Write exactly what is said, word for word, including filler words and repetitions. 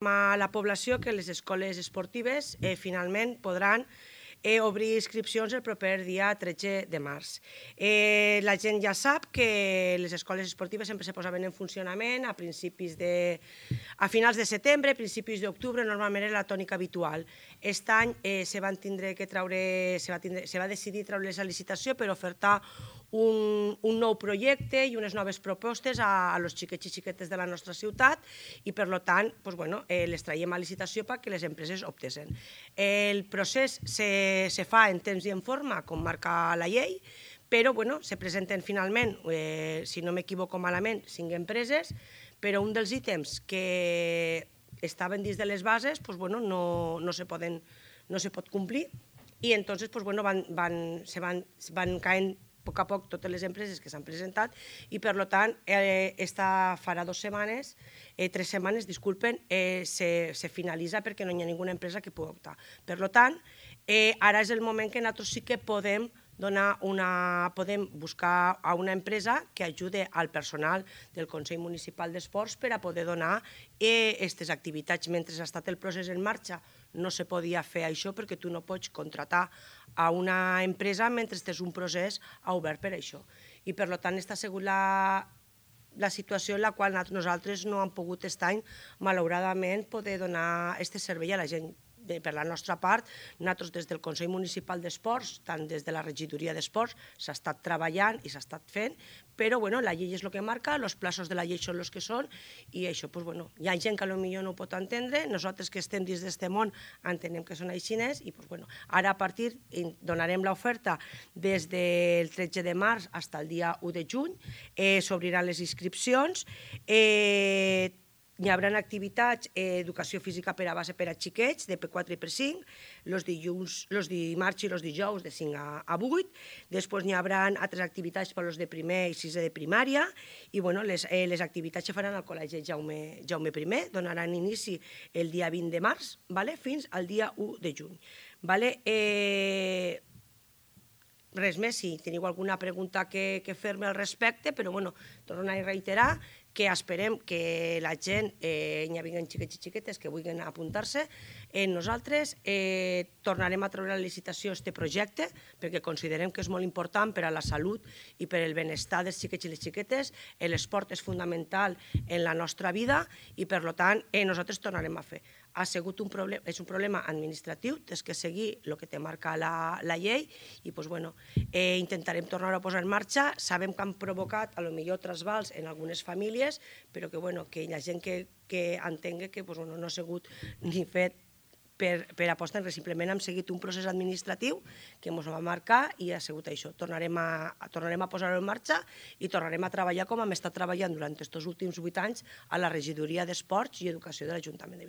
a la població que les escoles esportives eh, finalment podran eh, obrir inscripcions el proper dia tretze de març. Eh, la gent ja sap que les escoles esportives sempre se posaven en funcionament a principis de... a finals de setembre, principis d'octubre, normalment era la tònica habitual. Aquest any eh, se van tindre que traure, se va, tindre, se va decidir treure's a licitació per ofertar un, un nou projecte i unes noves propostes a, a los xiquets i xiquetes de la nostra ciutat i, per tant, pues, bueno, eh, les traiem a licitació perquè les empreses optessin. El procés se, se fa en temps i en forma, com marca la llei, però bueno, se presenten finalment, eh, si no m'equivoco malament, cinc empreses, però un dels ítems que estaven dins de les bases pues, bueno, no, no, se poden, no se pot complir i entonces pues, bueno, van, van, se van, van caent a poc a poc totes les empreses que s'han presentat i, per tant, eh, esta farà dues setmanes, eh, tres setmanes, disculpen, eh, se, se finalitza perquè no hi ha ninguna empresa que pugui optar. Per tant, eh, ara és el moment que nosaltres sí que podem donar una, podem buscar a una empresa que ajude al personal del Consell Municipal d'Esports per a poder donar aquestes activitats. Mentre ha estat el procés en marxa no se podia fer això perquè tu no pots contratar a una empresa mentre és un procés obert per això. I per tant, aquesta ha sigut la, la situació en la qual nosaltres no hem pogut aquest any, malauradament, poder donar aquest servei a la gent. Per la nostra part, nosaltres des del Consell Municipal d'Esports, tant des de la regidoria d'Esports, s'ha estat treballant i s'ha estat fent, però bueno, la llei és el que marca, els plazos de la llei són els que són, i això, pues, bueno, hi ha gent que potser no ho pot entendre, nosaltres que estem dins d'aquest món entenem que són així, i pues, bueno, ara a partir donarem l'oferta des del tretze de març fins al dia u de juny, eh, s'obriran les inscripcions, eh, hi haurà activitats, eh, educació física per a base per a xiquets, de P quatre i P cinc, els dilluns, els dimarts i els dijous de cinc a vuit, després hi haurà altres activitats per als de primer i sisè de primària, i bueno, les, eh, les activitats se faran al Col·legi Jaume, Jaume I, donaran inici el dia vint de març, vale? Fins al dia u de juny. Vale? Eh, res més, si teniu alguna pregunta que, que fer-me al respecte, però bueno, torno a reiterar que esperem que la gent, eh, hi hagi xiquets i xiquetes que vulguin apuntar-se. Eh, nosaltres eh, tornarem a treure a la licitació aquest projecte perquè considerem que és molt important per a la salut i per al benestar dels xiquets i les xiquetes. L'esport és fundamental en la nostra vida i, per tant, eh, nosaltres tornarem a fer. Ha sigut un problema, és un problema administratiu, tens que seguir el que te marca la, la llei i pues, bueno, eh, intentarem tornar a posar en marxa. Sabem que han provocat a lo millor trasbals en algunes famílies, però que, bueno, que hi ha gent que, que entengui que pues, bueno, no ha sigut ni fet per, per apostar, simplement hem seguit un procés administratiu que ens va marcar i ha sigut això. Tornarem a, tornarem a posar-ho en marxa i tornarem a treballar com hem estat treballant durant aquests últims vuit anys a la regidoria d'Esports i Educació de l'Ajuntament de Vilanova.